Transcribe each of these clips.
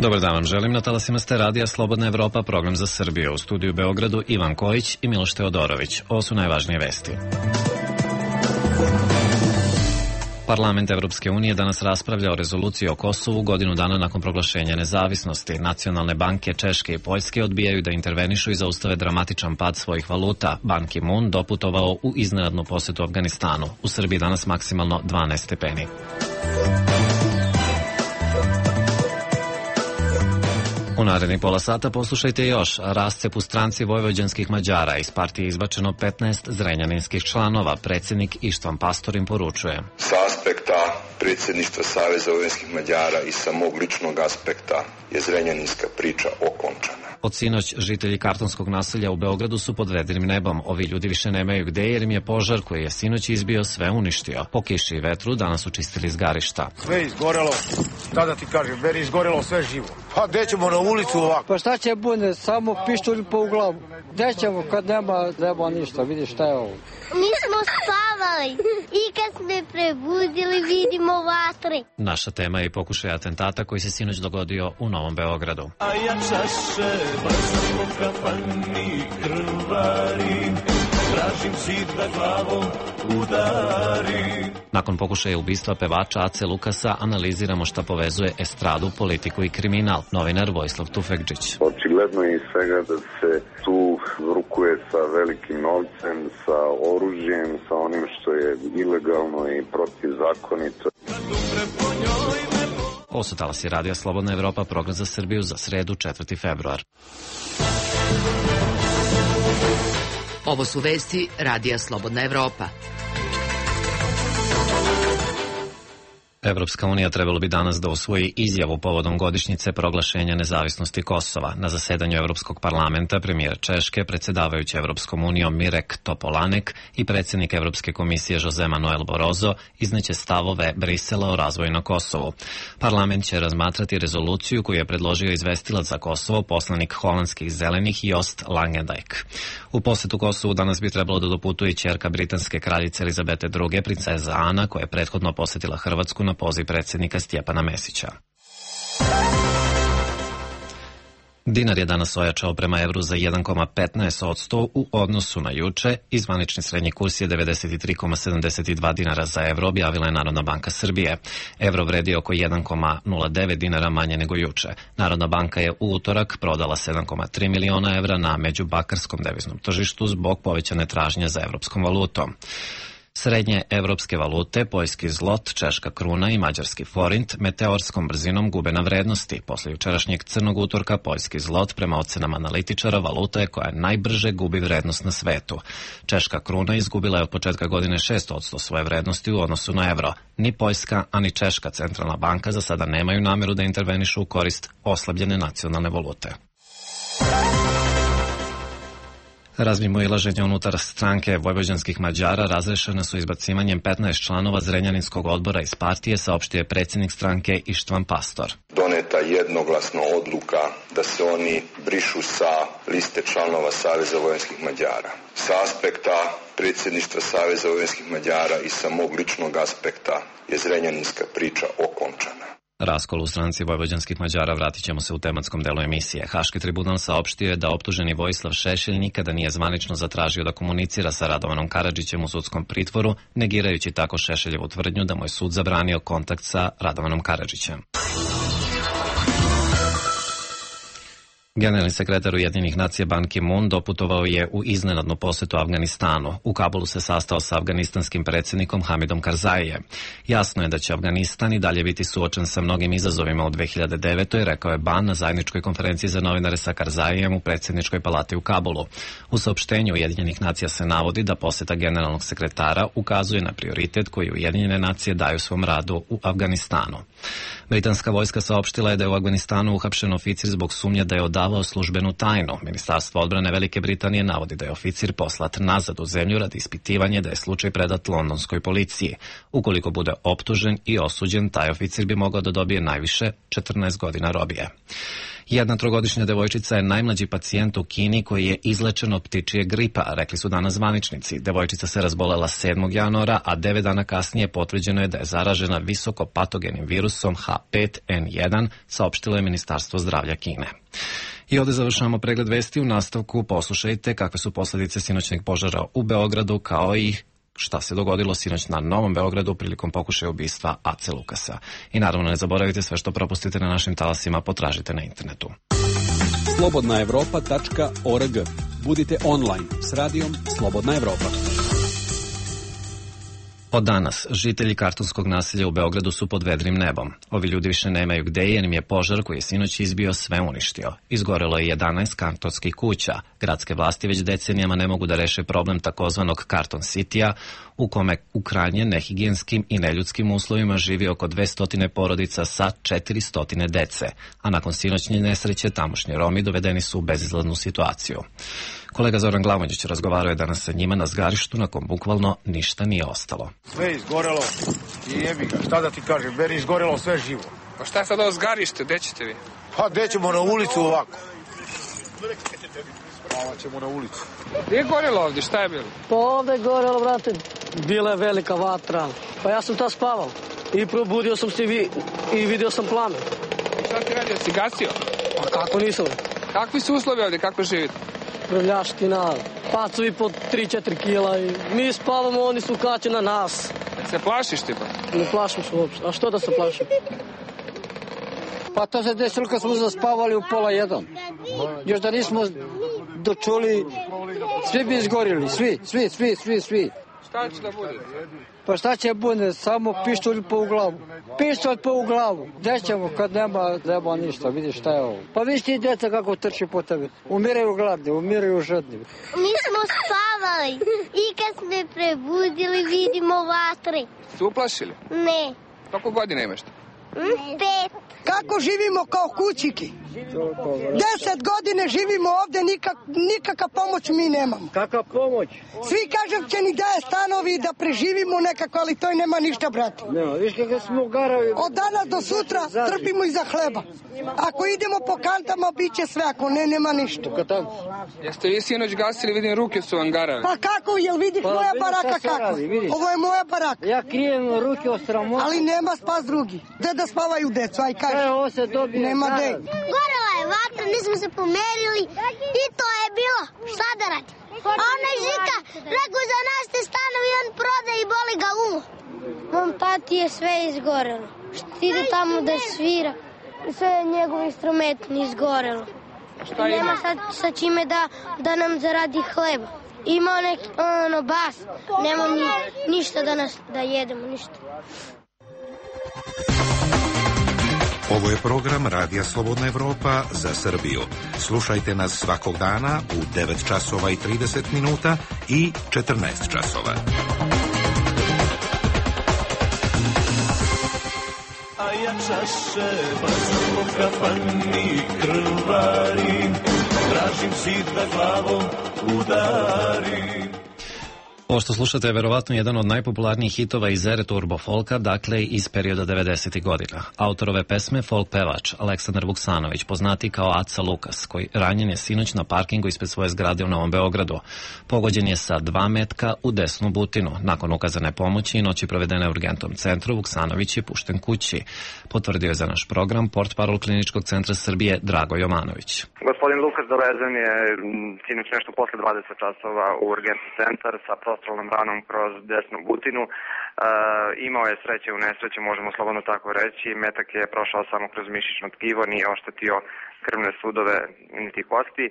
Dobar dan vam želim. Na talasima ste radija Slobodna Evropa, program za Srbiju. U studiju u Beogradu Ivan Kojić i Miloš Teodorović. Ovo su najvažnije vesti. Parlament Evropske unije danas raspravlja o rezoluciji o Kosovu godinu dana nakon proglašenja nezavisnosti. Nacionalne banke Češke i Poljske odbijaju da intervenišu i zaustave dramatičan pad svojih valuta. Ban Ki-moon doputovao u iznenadnu posetu Afganistanu. U Srbiji danas maksimalno 12 stepeni. U narednih pola sata poslušajte još. Rascep u stranci vojvođanskih Mađara. Iz partije izbačeno 15 zrenjaninskih članova. Predsjednik Ištvan Pastor im poručuje. Sa aspekta predsjedništva Saveza vojvođanskih Mađara i sa mog ličnog aspekta je zrenjaninska priča okončana. Od sinoć žitelji Kartonskog naselja u Beogradu su pod vedrim nebom. Ovi ljudi više nemaju gde jer im je požar koji je sinoć izbio sve uništio. Po kiši i vetru danas su čistili izgarišta. Sve izgorelo, šta da ti kažem, meni izgorelo sve živo. Pa gde ćemo na ulicu ovako? Pa šta će bude, samo pištolj po glavu. Gde ćemo kad nema ništa, vidi šta je ovo. Mi smo spavali i kad smo prebudili vidimo vatre. Naša tema je i pokušaj atentata koji se sinoć dogodio u Novom Beogradu. A ja čaše, brzam po kafani krvari, tražim zid da glavom udari. Nakon pokušaja ubistva pevača Ace Lukasa analiziramo šta povezuje estradu, politiku i kriminal. Novinar Vojislav Tufekđić. Očigledno je iz svega da se tu rukuje sa velikim novcem, sa oružjem, sa onim što je ilegalno i protivzakonito. Ovo su talasi radija Slobodna Evropa, program za Srbiju za sredu 4. februar. Ovo su vesti radija Slobodna Evropa. Evropska unija trebalo bi danas da usvoji izjavu povodom godišnjice proglašenja nezavisnosti Kosova. Na zasedanju Evropskog parlamenta premijer Češke, predsjedavajući Evropskom unijom Mirek Topolanek i predsjednik Evropske komisije Jose Manuel Barroso izneće stavove Brisela o razvoju na Kosovu. Parlament će razmatrati rezoluciju koju je predložio izvestilac za Kosovo, poslanik holandskih zelenih Joost Langendijk. U posetu Kosovu danas bi trebalo da doputuje ćerka britanske kraljice Elizabete II, princeza Ana, koja je prethodno posjetila Hrvatsku na poziv predsjednika Stjepana Mesića. Dinar je danas ojačao prema evru za 1,15% u odnosu na juče i zvanični srednji kurs je 93,72 dinara za evro, objavila je Narodna banka Srbije. Evro vredi oko 1,09 dinara manje nego juče. Narodna banka je u utorak prodala 7,3 miliona evra na međubakarskom deviznom tržištu zbog povećane tražnje za evropskom valutom. Srednje evropske valute, poljski zlot, češka kruna i mađarski forint meteorskom brzinom gube na vrednosti. Posle jučerašnjeg crnog utorka, poljski zlot prema ocenama analitičara valuta je koja najbrže gubi vrednost na svetu. Češka kruna izgubila je od početka godine 6% svoje vrednosti u odnosu na evro. Ni Poljska, ani Češka centralna banka za sada nemaju nameru da intervenišu u korist oslabljene nacionalne valute. Razmimoilaženja unutar stranke vojvođanskih Mađara razrešena su izbacivanjem 15 članova Zrenjaninskog odbora iz partije, saopštio je predsjednik stranke Ištvan Pastor. Doneta jednoglasno odluka da se oni brišu sa liste članova Saveza vojvođanskih Mađara. Sa aspekta predsjedništva Saveza vojvođanskih Mađara i sa mog ličnog aspekta je zrenjaninska priča okončana. Raskol u stranci vojvođanskih Mađara vratit ćemo se u tematskom delu emisije. Haški tribunal saopštio je da optuženi Vojislav Šešelj nikada nije zvanično zatražio da komunicira sa Radovanom Karadžićem u sudskom pritvoru, negirajući tako Šešeljevu tvrdnju da mu je sud zabranio kontakt sa Radovanom Karadžićem. Generalni sekretar Ujedinjenih nacija Ban Ki-moon doputovao je u iznenadnu posetu Afganistanu. U Kabulu se sastao sa afganistanskim predsjednikom Hamidom Karzaijem. Jasno je da će Afganistan i dalje biti suočen sa mnogim izazovima u 2009. rekao je Ban na zajedničkoj konferenciji za novinare sa Karzaijem u predsjedničkoj palati u Kabulu. U saopštenju Ujedinjenih nacija se navodi da poseta generalnog sekretara ukazuje na prioritet koji Ujedinjene nacije daju svom radu u Afganistanu. Britanska vojska saopštila je da je u Afganistanu uhapšen oficir zbog sumnje da je odavao službenu tajnu. Ministarstvo odbrane Velike Britanije navodi da je oficir poslat nazad u zemlju radi ispitivanja da je slučaj predat londonskoj policiji. Ukoliko bude optužen i osuđen, taj oficir bi mogao da dobije najviše 14 godina robije. Jedna trogodišnja devojčica je najmlađi pacijent u Kini koji je izlečen od ptičije gripa, rekli su danas zvaničnici. Devojčica se razbolela 7. januara, a 9 dana kasnije potvrđeno je da je zaražena visoko patogenim virusom H5N1, saopštilo je Ministarstvo zdravlja Kine. I ovde završavamo pregled vesti. U nastavku poslušajte kakve su posledice sinoćnog požara u Beogradu, kao i šta se dogodilo sinoć na Novom Beogradu prilikom pokušaja ubistva Ace Lukasa. I naravno ne zaboravite, sve što propustite na našim talasima potražite na internetu. slobodnaevropa.org. Budite online s radijom Slobodna Evropa. Od danas, žitelji Kartonskog naselja u Beogradu su pod vedrim nebom. Ovi ljudi više nemaju gde jer im je požar koji je sinoć izbio sve uništio. Izgorelo je 11 kartonskih kuća. Gradske vlasti već decenijama ne mogu da reše problem takozvanog Karton City-a, u kome u krajnje nehigijenskim i neljudskim uslovima živi oko 200 porodica sa 400 dece. A nakon sinoćnje nesreće, tamošnji Romi dovedeni su u bezizlaznu situaciju. Kolega Zoran Glamonjić razgovarao je danas sa njima na zgarištu na kom bukvalno ništa nije ostalo. Sve izgorelo i jebi ga, šta da ti kažem, meni izgorelo sve živo. Pa šta je sad ovo zgarište, gde ćete vi? Pa gde ćemo, na ulicu ovako. Malo ćemo na ulicu. Gdje je gorelo ovdje, šta je bilo? Pa ovdje je gorelo, brate, bila je velika vatra. Pa ja sam ta spavao i probudio sam se i vidio sam plamen. I šta ti radio, si gasio? Pa kako nisam? Kakvi su uslovi ovdje, kako živite? Prljaština, pacovi po 3-4 kila i mi spavamo, oni su kaće na nas. Se plašiš ti pa? Ne plašim se uopšte, a što da se plašim? Pa to se desilo kad smo zaspavali u 12:30. Još da nismo dočuli, svi bi izgorili, svi. Šta će da bude? Pa šta će bude, samo pištolj po u glavu. Gde ćemo kad nema ništa, vidiš šta je ovo. Pa vidiš ti djeca kako trči po tebi. Umiraju gladni, umiraju žedni. Mi smo spavali i kad smo prebudili vidimo vatre. Ste uplašili? Ne. Koliko godina imaš? 5. Kako živimo kao kućiki? 10 godine živimo ovde, nikakva pomoć mi nemamo. Kakva pomoć? Svi kažem će ni daje stanovi da preživimo nekako, ali to i nema ništa, brate. Ne, viš kako smo garavi. Od danas do sutra trpimo i za hleba. Ako idemo po kantama, bit će sve, ako ne, nema ništa. Jeste vi sinoć gasili, vidim ruke su vam garave. Pa kako, jel vidiš moja baraka kako? Ovo je moja baraka. Ja krijem ruke od sramota. Ali nema spas drugi. Gde da spavaju decu, aj kaži. Nema gde. Gorela je vatra, nismo se pomerili i to je bilo. Šta da radi? A onaj Žika, rekao za nas te stanovi, on proda i boli ga uvo. Mom tati je sve izgorelo. Ide tamo da svira. Sve njegove instrumente izgorelo. Nema sad sa čime da nam zaradi hleba. Ima neki bas, nema ništa da jedemo, ništa. Ovo je program Radija Slobodna Evropa za Srbiju. Slušajte nas svakog dana u 9 časova i 30 minuta i 14 časova. A ja čaše bacam po kafani krvarim, tražim zid da glavom udarim. Ovo što slušate je verovatno jedan od najpopularnijih hitova iz ere turbo folka, dakle iz perioda 90. godina. Autor ove pesme, folk pevač Aleksandar Vuksanović, poznati kao Aca Lukas, koji ranjen je sinoć na parkingu ispred svoje zgrade u Novom Beogradu. Pogođen je sa 2 metka u desnu butinu. Nakon ukazane pomoći i noći provedene u urgentnom centru, Vuksanović je pušten kući. Potvrdio je za naš program portparol Kliničkog centra Srbije Drago Jovanović. Gospodin Lukas dovezen je sinoć nešto posle 20 časova u urgentni centar sa prostrelnom ranom kroz desnu butinu. Imao je sreće u nesreće, možemo slobodno tako reći. Metak je prošao samo kroz mišićno tkivo, nije oštetio krvne sudove niti kosti.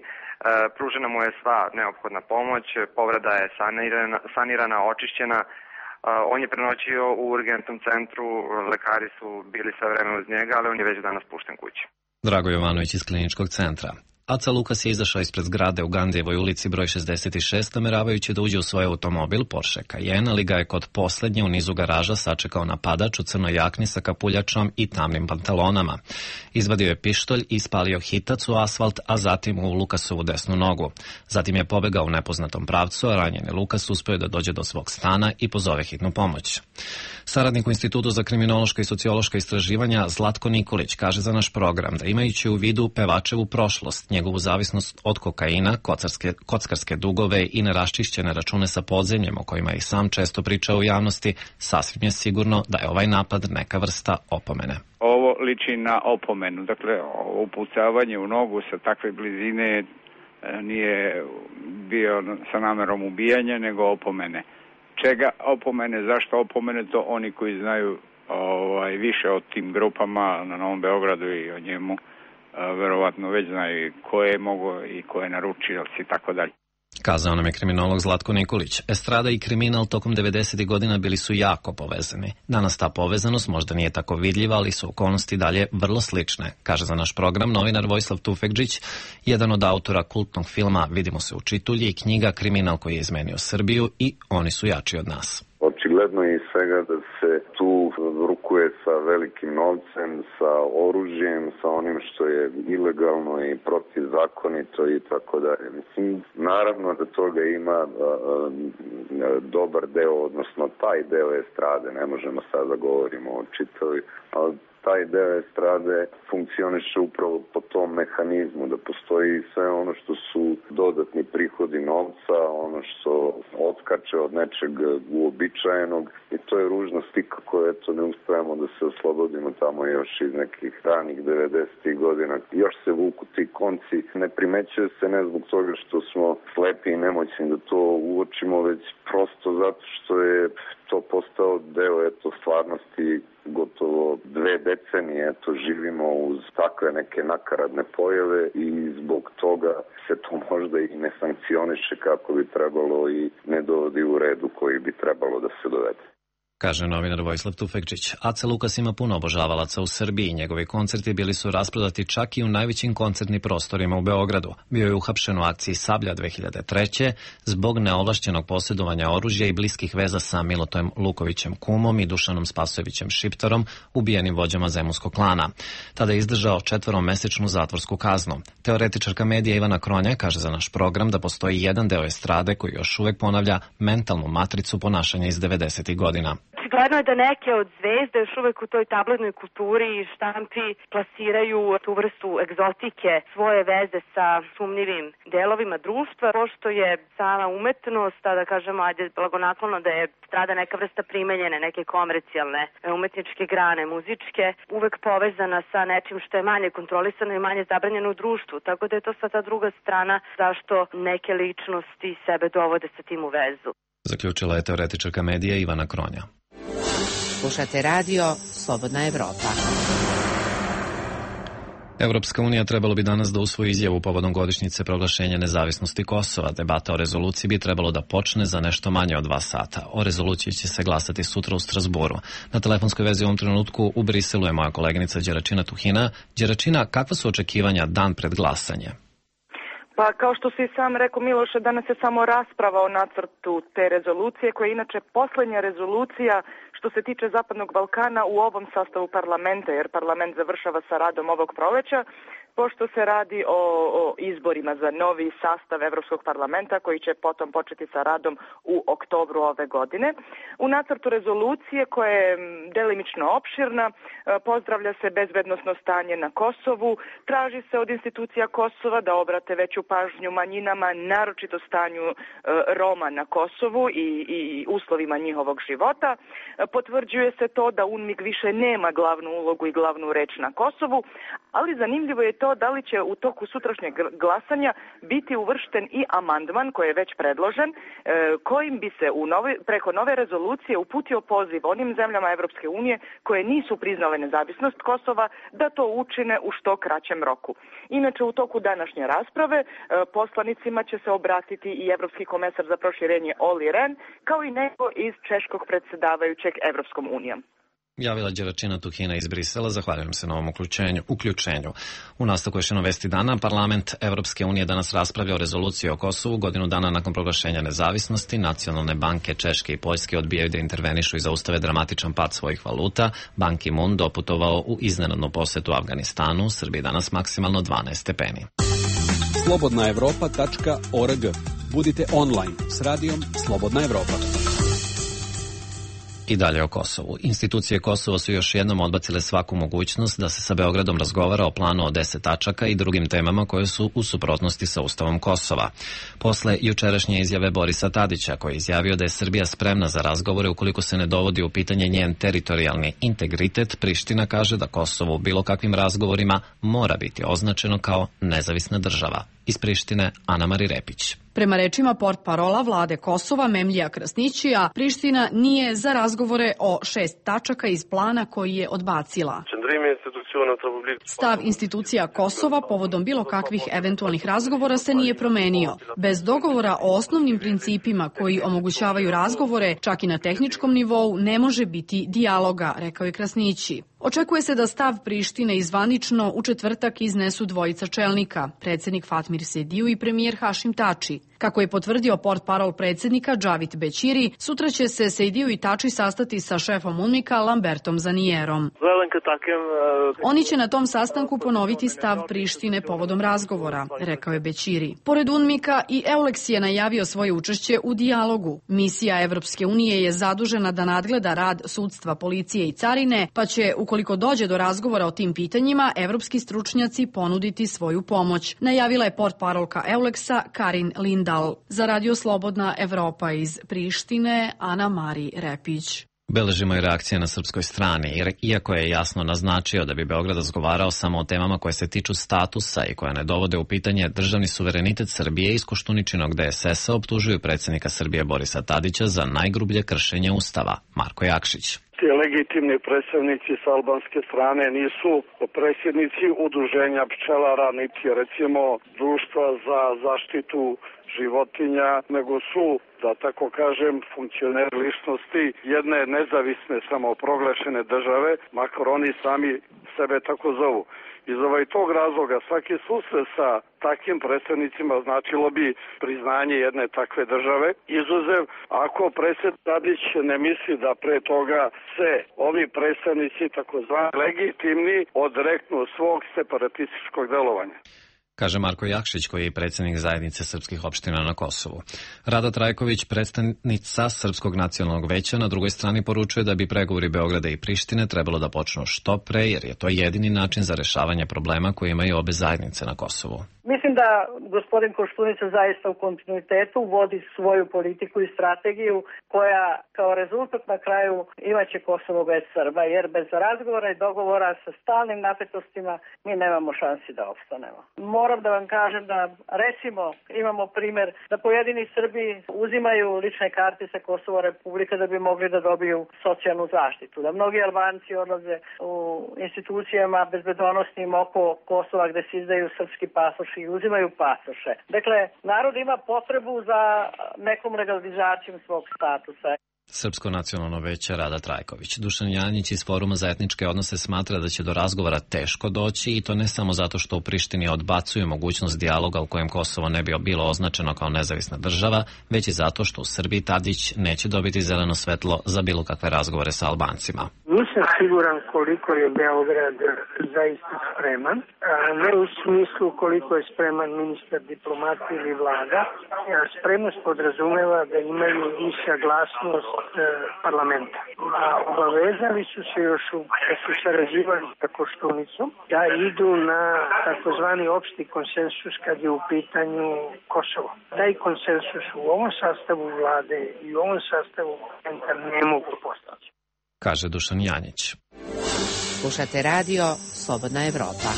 Pružena mu je sva neophodna pomoć, povreda je sanirana, očišćena. On je prenoćio u urgentnom centru, lekari su bili sve vreme uz njega, ali on je već danas pušten kući. Drago Jovanović iz Kliničkog centra. Aca Lukas je izašao ispred zgrade u Gandijevoj ulici broj 66, nameravajući da uđe u svoj automobil Porsche Cayenne, ali ga je kod poslednje u nizu garaža sačekao napadač u crnoj jakni sa kapuljačom i tamnim pantalonama. Izvadio je pištolj i ispalio hitac u asfalt, a zatim u Lukasovu desnu nogu. Zatim je pobegao u nepoznatom pravcu, a ranjeni Lukas uspeo da dođe do svog stana i pozove hitnu pomoć. Saradnik u Institutu za kriminološka i sociološka istraživanja Zlatko Nikolić kaže za naš program da imajući u vidu pevačevu prošlost, njegovu zavisnost od kokaina, kockarske dugove i neraščišćene račune sa podzemljem o kojima i sam često priča u javnosti, sasvim je sigurno da je ovaj napad neka vrsta opomene. Ovo liči na opomenu, dakle upucavanje u nogu sa takve blizine nije bio sa namerom ubijanja, nego opomene. Čega opomene, zašto opomene, to oni koji znaju više o tim grupama na Novom Beogradu i o njemu verovatno već znaju ko je mogao i ko je naručioc i tako dalje. Kazao nam je kriminolog Zlatko Nikolić. Estrada i kriminal tokom 90. godina bili su jako povezani. Danas ta povezanost možda nije tako vidljiva, ali su okolnosti dalje vrlo slične, kaže za naš program novinar Vojislav Tufekđić, jedan od autora kultnog filma Vidimo se u Čitulji i knjiga Kriminal koji je izmenio Srbiju i Oni su jači od nas. Očigledno je iz svega da se tu rukuje sa velikim novcem, sa oružjem, sa onim što je ilegalno i protivzakonito i tako dalje. Mislim, naravno da toga ima dobar deo, odnosno taj deo estrade, ne možemo sad da govorimo o čitavi, ali taj deo estrade funkcioniše upravo po tom mehanizmu, da postoji sve ono što su dodatni prihodi novca, ono što otkače od nečeg uobičajenog i to je ružna slika koju eto ne uspevamo da se oslobodimo tamo još iz nekih ranih 90. godina. Još se vuku ti konci, ne primećuje se ne zbog toga što smo slepi i nemoćni da to uočimo, već prosto zato što je to postao deo stvarnosti gotovo 2 decenije, živimo uz takve neke nakaradne pojave i zbog toga se to možda i ne sankcioniše kako bi trebalo i ne dovodi u redu koji bi trebalo da se dovede. Kaže novinar Vojislav Tufekčić. Aca Lukas ima puno obožavalaca u Srbiji. Njegovi koncerti bili su rasprodati čak i u najvećim koncertnim prostorima u Beogradu. Bio je uhapšen u akciji Sablja 2003. zbog neovlašćenog posjedovanja oružja i bliskih veza sa Milotojem Lukovićem Kumom i Dušanom Spasojevićem Šiptarom, ubijenim vođama zemunskog klana. Tada je izdržao 4-mesečnu zatvorsku kaznu. Teoretičarka medija Ivana Kronja kaže za naš program da postoji jedan deo estrade koji još uvek ponavlja mentalnu matricu ponašanja iz 90. godina. Očigledno je da neke od zvezde još uvek u toj tabloidnoj kulturi i štampi plasiraju tu vrstu egzotike, svoje veze sa sumnjivim delovima društva, pošto je sama umetnost, da kažemo, blagonaklono da je strada neka vrsta primenjene, neke komercijalne umetničke grane, muzičke, uvek povezana sa nečim što je manje kontrolisano i manje zabranjeno u društvu, tako da je to sad ta druga strana zašto neke ličnosti sebe dovode sa tim u vezu. Zaključila je teoretičarka medija Ivana Kronja. Slušate radio Slobodna Evropa. Evropska unija trebalo bi danas da usvoji izjavu povodom godišnjice proglašenja nezavisnosti Kosova. Debata o rezoluciji bi trebalo da počne za nešto manje od 2 sata. O rezoluciji će se glasati sutra u Strasburu. Na telefonskoj vezi u ovom trenutku u Briselu je moja koleginica Đeračina Tuhina. Đeračina, kakva su očekivanja dan pred glasanje? Pa kao što si sam rekao, Miloše, danas je samo rasprava o nacrtu te rezolucije, koja je inače poslednja rezolucija što se tiče Zapadnog Balkana u ovom sastavu parlamenta, jer parlament završava sa radom ovog proleća, pošto se radi o izborima za novi sastav Evropskog parlamenta koji će potom početi sa radom u oktobru ove godine. U nacrtu rezolucije, koja je delimično opširna, pozdravlja se bezbednosno stanje na Kosovu, traži se od institucija Kosova da obrate veću pažnju manjinama, naročito stanju Roma na Kosovu i uslovima njihovog života. Potvrđuje se to da UNMIK više nema glavnu ulogu i glavnu reč na Kosovu, ali zanimljivo je to da li će u toku sutrašnjeg glasanja biti uvršten i amandman koji je već predložen, kojim bi se preko nove rezolucije uputio poziv onim zemljama Evropske unije koje nisu priznale nezavisnost Kosova da to učine u što kraćem roku. Inače, u toku današnje rasprave poslanicima će se obratiti i Evropski komesar za proširenje Olli Rehn, kao i neko iz češkog predsjedavajućeg Evropskom unijom. Javila Đeračina Tuhina iz Brisela, zahvaljujem se na ovom uključenju. U nastavku još jedno vesti dana, Parlament Evropske unije danas raspravlja o rezoluciji o Kosovu. Godinu dana nakon proglašenja nezavisnosti, nacionalne banke Češke i Poljske odbijaju da intervenišu i zaustave dramatičan pad svojih valuta. Ban Ki-moon doputovao u iznenadnu posetu Afganistanu, u Srbiji danas maksimalno 12 stepeni. slobodnaevropa.org. Budite online s radijom Slobodna Evropa. I dalje o Kosovu. Institucije Kosova su još jednom odbacile svaku mogućnost da se sa Beogradom razgovara o planu od 10 tačaka i drugim temama koje su u suprotnosti sa Ustavom Kosova. Posle jučerašnje izjave Borisa Tadića, koji je izjavio da je Srbija spremna za razgovore ukoliko se ne dovodi u pitanje njen teritorijalni integritet, Priština kaže da Kosovo u bilo kakvim razgovorima mora biti označeno kao nezavisna država. Iz Prištine, Ana-Mari Repić. Prema rečima portparola vlade Kosova Memlija Krasnićija, Priština nije za razgovore o 6 tačaka iz plana koji je odbacila. Stav institucija Kosova povodom bilo kakvih eventualnih razgovora se nije promenio. Bez dogovora o osnovnim principima koji omogućavaju razgovore, čak i na tehničkom nivou, ne može biti dijaloga, rekao je Krasnići. Očekuje se da stav Prištine izvanično u četvrtak iznesu dvojica čelnika, predsjednik Fatmir Sediju i premijer Hašim Tači. Kako je potvrdio portparol predsjednika Džavit Bećiri, sutra će se Sediju i Tači sastati sa šefom UNMIK-a Lambertom Zanijerom. Oni će na tom sastanku ponoviti stav Prištine povodom razgovora, rekao je Bećiri. Pored UNMIK-a i EULEX je najavio svoje učešće u dijalogu. Misija Evropske unije je zadužena da nadgleda rad sudstva, policije i carine, pa će, ukoliko dođe do razgovora o tim pitanjima, evropski stručnjaci ponuditi svoju pomoć, najavila je portparolka EULEX-a Karin Lindal. Za Radio Slobodna Evropa iz Prištine, Ana-Mari Repić. Beležimo i reakcije na srpskoj strani, jer iako je jasno naznačio da bi Beograd razgovarao samo o temama koje se tiču statusa i koje ne dovode u pitanje državni suverenitet Srbije, iz Koštuničinog DSS-a optužuju predsjednika Srbije Borisa Tadića za najgrublje kršenje Ustava. Marko Jakšić. Ti legitimni predstavnici sa albanske strane nisu predsjednici udruženja pčelara, niti recimo društva za zaštitu životinja, nego su, da tako kažem, funkcioneri ličnosti jedne nezavisne samoproglašene države, makar oni sami sebe tako zovu. Iz tog razloga svaki susret sa takvim predstavnicima značilo bi priznanje jedne takve države. Izuzev ako predsjednik Tadić ne misli da pre toga se ovi predstavnici takozvani legitimni odreknu svog separatističkog delovanja. Kaže Marko Jakšić, koji je predsjednik zajednice srpskih opština na Kosovu. Rada Trajković, predstavnica Srpskog nacionalnog veća, na drugoj strani poručuje da bi pregovori Beograda i Prištine trebalo da počnu što pre, jer je to jedini način za rešavanje problema koje imaju obe zajednice na Kosovu. Mislim da gospodin Koštunica zaista u kontinuitetu vodi svoju politiku i strategiju koja kao rezultat na kraju imaće Kosovo bez Srba, jer bez razgovora i dogovora sa stalnim napetostima mi nemamo šansi da opstanemo. Moram da vam kažem da recimo imamo primjer da pojedini Srbi uzimaju lične karte sa Kosova Republika da bi mogli da dobiju socijalnu zaštitu, da mnogi Albanci odlaze u institucijama bezbedonosnim oko Kosova gde se izdaju srpski pasoši i uzimaju pasoše. Dakle, narod ima potrebu za nekom legalizacijom svog statusa. Srpsko nacionalno veće Rada Trajković. Dušan Janjić iz Foruma za etničke odnose smatra da će do razgovora teško doći i to ne samo zato što u Prištini odbacuju mogućnost dijaloga u kojem Kosovo ne bi bilo označeno kao nezavisna država, već i zato što u Srbiji Tadić neće dobiti zeleno svetlo za bilo kakve razgovore sa Albancima. Nisam siguran koliko je Beograd zaista spreman, ne u smislu koliko je spreman ministar diplomatije ili vlada. Spremnost podrazumeva da imaju i saglasnost parlamenta. A obavezali su se još da su sarađivali sa Koštunicom da idu na takozvani opšti konsensus kad je u pitanju Kosovo. Taj konsensus u ovom sastavu vlade i u ovom sastavu parlamenta ne mogu postići, kaže Dušan Janjić. Slušate radio Slobodna Evropa.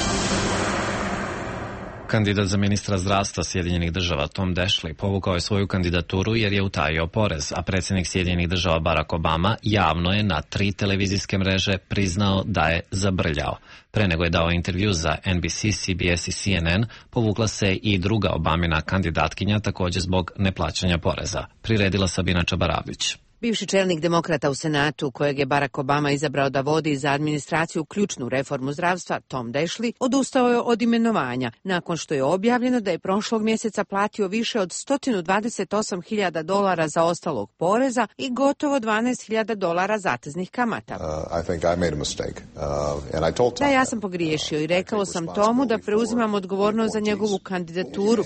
Kandidat za ministra zdravstva Sjedinjenih država Tom Daschle povukao je svoju kandidaturu jer je utajio porez, a predsjednik Sjedinjenih država Barack Obama javno je na 3 televizijske mreže priznao da je zabrljao. Pre nego je dao intervju za NBC, CBS i CNN, povukla se i druga Obamina kandidatkinja također zbog neplaćanja poreza. Priredila Sabina Čabaravić. Bivši čelnik demokrata u Senatu, kojeg je Barack Obama izabrao da vodi za administraciju ključnu reformu zdravstva, Tom Daschle, odustao je od imenovanja, nakon što je objavljeno da je prošlog mjeseca platio više od $128.000 zaostalog poreza i gotovo $12.000 zateznih kamata. Da, ja sam pogriješio i rekao sam Tomu da preuzimam odgovornost za njegovu kandidaturu,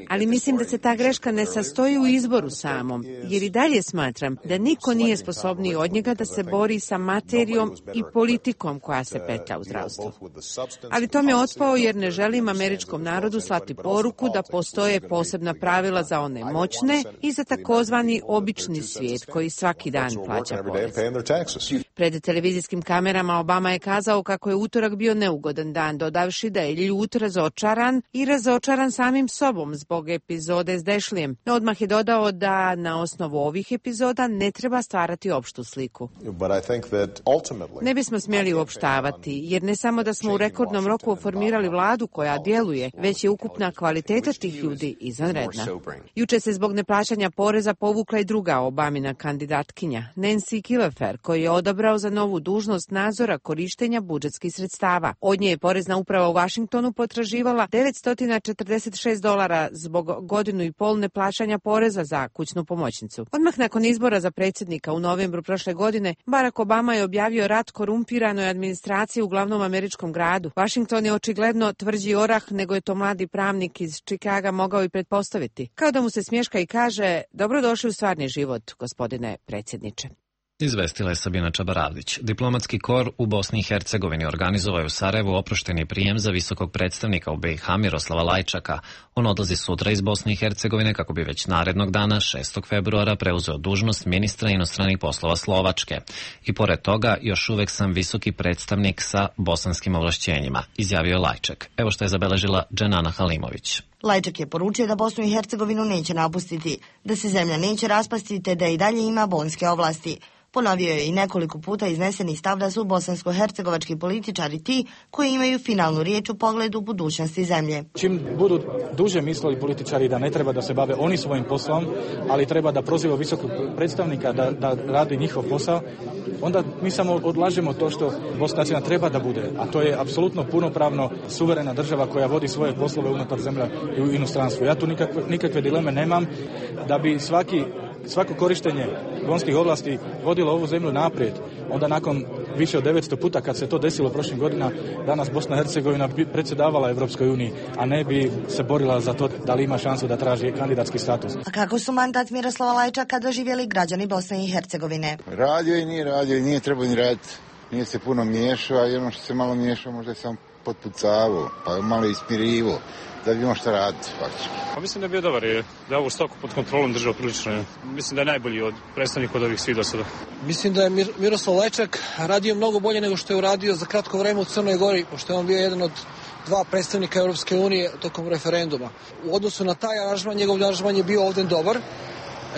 ali mislim da se ta greška ne sastoji u izboru samom, jer i dalje smatram da niko nije sposobniji od njega da se bori sa materijom i politikom koja se petlja u zdravstvu. Ali Tom je otpao jer ne želim američkom narodu slati poruku da postoje posebna pravila za one moćne i za takozvani obični svijet koji svaki dan plaća porez. Pred televizijskim kamerama Obama je kazao kako je utorak bio neugodan dan, dodavši da je ljut, razočaran samim sobom zbog epizode s Daschlejem. Odmah je dodao da na osnovu ovih epizoda ne treba stvarati opštu sliku. Ne bismo smjeli uopštavati, jer ne samo da smo u rekordnom roku formirali vladu koja djeluje, već je ukupna kvaliteta tih ljudi izvanredna. Juče se zbog neplaćanja poreza povukla i druga Obamina kandidatkinja, Nancy Killefer, koji je odabrao za novu dužnost nadzora korištenja budžetskih sredstava. Od nje je porezna uprava u Vašingtonu potraživala $946 zbog godinu i pol neplaćanja poreza za kućnu pomoćnicu. Odmah nakon izbora za predsjednika u novembru prošle godine, Barack Obama je objavio rat korumpiranoj administraciji u glavnom američkom gradu. Washington je očigledno tvrđi orah nego je to mladi pravnik iz Chicaga mogao i pretpostaviti. Kao da mu se smješka i kaže: dobrodošli u stvarni život, gospodine predsjedniče. Izvestila je Sabina Čabaravdić. Diplomatski kor u Bosni i Hercegovini organizovao je u Sarajevu oprošteni prijem za visokog predstavnika u BiH Miroslava Lajčaka. On odlazi sutra iz Bosne i Hercegovine kako bi već narednog dana, 6. februara, preuzeo dužnost ministra inostranih poslova Slovačke. I pored toga, još uvek sam visoki predstavnik sa bosanskim ovlašćenjima, izjavio je Lajčak. Evo što je zabeležila Dženana Halimović. Lajčak je poručio da Bosnu i Hercegovinu neće napustiti, da se zemlja neće raspasti te da i dalje ima bonske ovlasti. Ponovio je i nekoliko puta izneseni stav da su bosansko-hercegovački političari ti koji imaju finalnu riječ u pogledu budućnosti zemlje. Čim budu duže mislili političari da ne treba da se bave oni svojim poslom, ali treba da proziva visokog predstavnika da radi njihov posao, onda mi samo odlažemo to što Bosna treba da bude, a to je apsolutno punopravno suverena država koja vodi svoje poslove unutar zemlje i u inostranstvu. Ja tu nikakve dileme nemam da bi svako korištenje bonskih ovlasti vodilo ovu zemlju naprijed. Onda nakon više od 900 puta kad se to desilo prošlih godina, danas Bosna i Hercegovina bi predsjedavala Evropskoj uniji, a ne bi se borila za to da li ima šansu da traži kandidatski status. A kako su mandat Miroslava Lajčaka doživjeli građani Bosne i Hercegovine? Radio i nije trebao ni raditi. Nije se puno miješao, a ono što se malo miješao možda je sam potpucavao, pa malo ispirivo. Da bi imao šta raditi, faktički. Pa mislim da je bio dobar, da je ovu stoku pod kontrolom držao prilično. Mislim da je najbolji od predstavnika od ovih svih do sada. Mislim da je Miroslav Lajčak radio mnogo bolje nego što je uradio za kratko vreme u Crnoj Gori, pošto je on bio jedan od dva predstavnika Europske unije tokom referenduma. U odnosu na taj aranžman, njegov aranžman je bio ovdje dobar.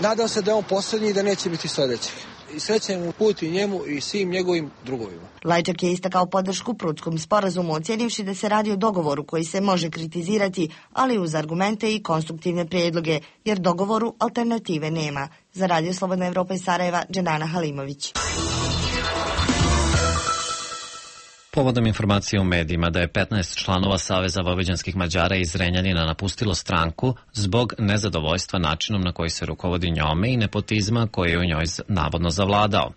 Nadam se da je on posljednji i da neće biti sljedeći. I srećen mu put i njemu i svim njegovim drugovima. Lajčak je istakao podršku Prutskom sporazumu, ocjenivši da se radi o dogovoru koji se može kritizirati, ali uz argumente i konstruktivne prijedloge, jer dogovoru alternative nema. Za Radio Slobodna Evropa iz Sarajeva, Dženana Halimović. Povodom informacije u medijima da je 15 članova Saveza vojvođanskih Mađara iz Zrenjanina napustilo stranku zbog nezadovoljstva načinom na koji se rukovodi njome i nepotizma koji je u njoj navodno zavladao.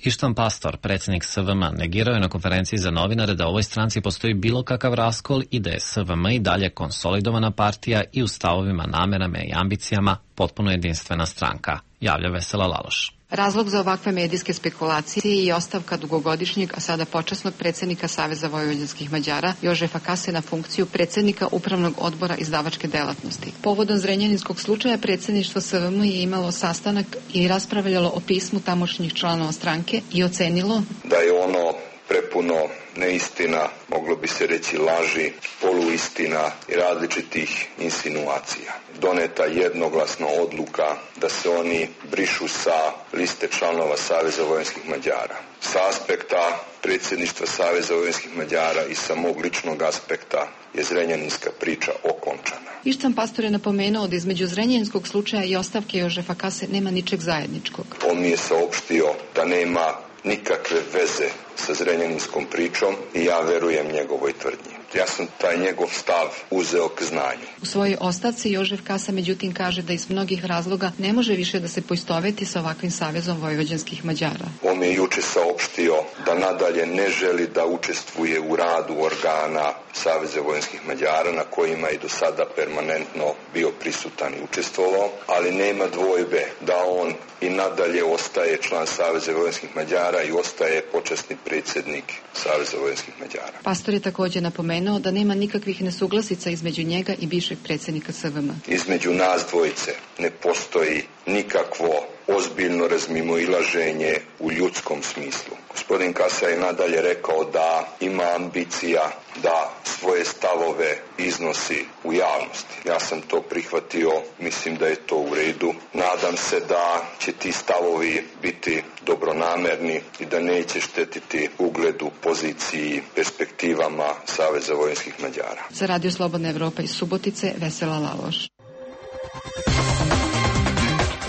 Ištan Pastor, predsjednik SVM, negirao je na konferenciji za novinare da u ovoj stranci postoji bilo kakav raskol i da je SVM i dalje konsolidovana partija i u stavovima, namerama i ambicijama potpuno jedinstvena stranka, javlja Vesela Laloš. Razlog za ovakve medijske spekulacije je ostavka dugogodišnjeg, a sada počasnog predsjednika Saveza vojvođanskih Mađara Jožefa Kase na funkciju predsjednika Upravnog odbora izdavačke delatnosti. Povodom zrenjaninskog slučaja predsjedništvo SVM je imalo sastanak i raspravljalo o pismu tamošnjih članova stranke i ocenilo da je ono prepuno neistina, moglo bi se reći laži, poluistina i različitih insinuacija. doneta jednoglasno odluka da se oni brišu sa liste članova Saveza vojvođanskih Mađara. Sa aspekta predsjedništva Saveza vojvođanskih Mađara i sa mog ličnog aspekta je zrenjaninska priča okončana. Ištván Pastor je napomenuo da između zrenjaninskog slučaja i ostavke Jožefa Kase nema ničeg zajedničkog. On mi je saopštio da nema nikakve veze sa zrenjaninskom pričom i ja verujem njegovoj tvrdnji. Ja sam taj njegov stav uzeo k znanju. U svojoj ostavci Jožef Kasa međutim kaže da iz mnogih razloga ne može više da se poistoveti sa ovakvim Savezom vojvođanskih Mađara. On mi je juče saopštio da nadalje ne želi da učestvuje u radu organa Saveza vojvođanskih Mađara na kojima je do sada permanentno bio prisutan i učestvovao, ali nema dvojbe da on i nadalje ostaje član Saveza vojvođanskih Mađara i ostaje počasni predsjednik Saveza vojvođanskih Mađara. Pastor je također napomenuo da nema nikakvih nesuglasica između njega i bivšeg predsjednika SVM. Između nas dvojice ne postoji nikakvo ozbiljno razmimoilaženje u ljudskom smislu. Gospodin Kasa je nadalje rekao da ima ambicija da svoje stavove iznosi u javnosti. Ja sam to prihvatio, mislim da je to u redu. Nadam se da će ti stavovi biti dobronamerni i da neće štetiti ugledu, poziciji, perspektivama Saveza vojvođanskih Mađara. Za Radio Slobodna Evropa iz Subotice, Vesela Laloš.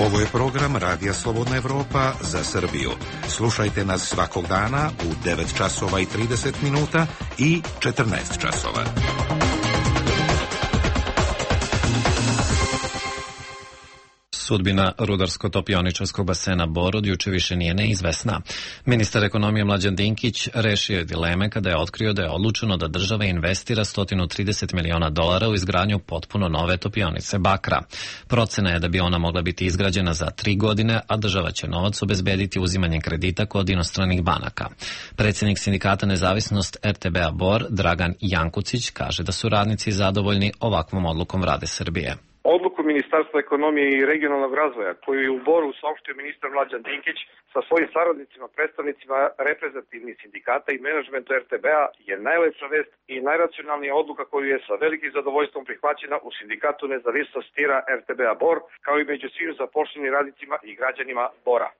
Ovo je program Radija Slobodna Evropa za Srbiju. Slušajte nas svakog dana u 9 časova i 30 minuta i 14 časova. Sudbina rudarsko-topioničarskog basena Bor od juče više nije neizvesna. Ministar ekonomije Mlađan Dinkić rešio je dileme kada je otkrio da je odlučeno da država investira $130 miliona u izgradnju potpuno nove topionice bakra. Procena je da bi ona mogla biti izgrađena za 3 godine, a država će novac obezbediti uzimanjem kredita kod inostranih banaka. Predsjednik sindikata Nezavisnost RTB-a Bor, Dragan Jankucić, kaže da su radnici zadovoljni ovakvom odlukom Vlade Srbije. Odluku Ministarstva ekonomije i regionalnog razvoja koju je u Boru saopštio ministar Mlađan Dinkić sa svojim saradnicima, predstavnicima reprezentativnih sindikata i menadžmenta RTB-a je najlepša vest i najracionalnija odluka koju je sa velikim zadovoljstvom prihvaćena u sindikatu Nezavisnost tira RTB-a Bor, kao i među svim zaposlenim radnicima i građanima Bora.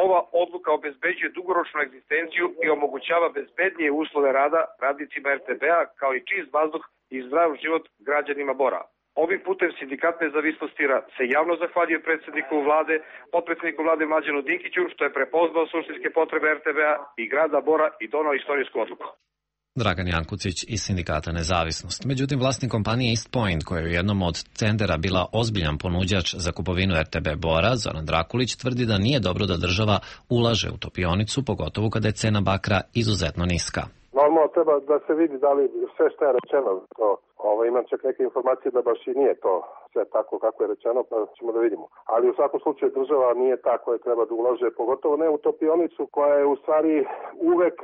Ova odluka obezbeđuje dugoročnu egzistenciju i omogućava bezbednije uslove rada radnicima RTB-a kao i čist vazduh i zdrav život građanima Bora. Ovim putem sindikat Nezavisnost tira se javno zahvaljuje predsjedniku vlade, potpredsjedniku vlade Mlađanu Dinkiću što je prepoznao suštinske potrebe RTB-a i grada Bora i donao istorijsku odluku. Dragan Jankucić iz sindikata Nezavisnost. Međutim, vlasnik kompanije East Point, koja je u jednom od tendera bila ozbiljan ponuđač za kupovinu RTB Bora, Zoran Drakulić, tvrdi da nije dobro da država ulaže u topionicu, pogotovo kada je cena bakra izuzetno niska. Normalno treba da se vidi da li sve što je rečeno, imam čak neke informacije da baš i nije to sve tako kako je rečeno, pa ćemo da vidimo. Ali u svakom slučaju država nije ta koja treba da ulaže, pogotovo ne u topionicu koja je u stvari uvek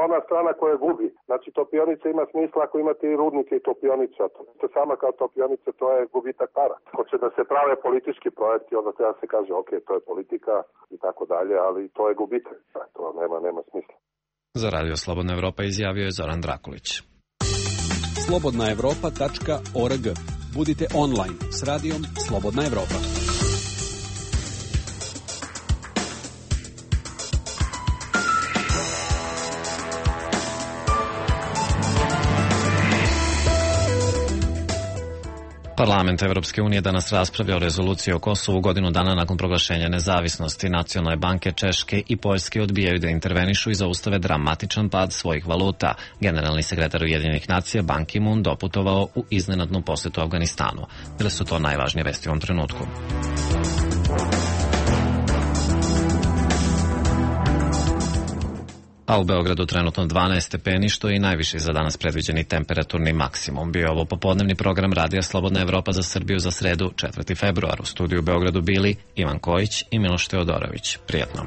ona strana koja gubi. Znači topionica ima smisla ako imate i rudnike i topionicu, a to sama kao topionica to je gubitak para. Hoće da se prave politički projekti, onda treba se kaže ok, to je politika i tako dalje, ali to je gubitak, to nema smisla. Za Radio Slobodna Evropa izjavio je Zoran Drakulić. slobodnaevropa.org. Budite online s radijom Slobodna Evropa. Parlament Evropske unije danas raspravlja o rezoluciji o Kosovu godinu dana nakon proglašenja nezavisnosti. Nacionalne banke Češke i Poljske odbijaju da intervenišu i zaustave dramatičan pad svojih valuta. Generalni sekretar Ujedinjenih nacija Ban Ki-moon doputovao u iznenadnu posetu Afganistanu. Bile su to najvažnije vesti u ovom trenutku. A u Beogradu trenutno 12 stepeni, što je i najviši za danas predviđeni temperaturni maksimum. Bio je ovo popodnevni program Radija Slobodna Evropa za Srbiju za sredu 4. februar. U studiju u Beogradu bili Ivan Kojić i Miloš Teodorović. Prijetno.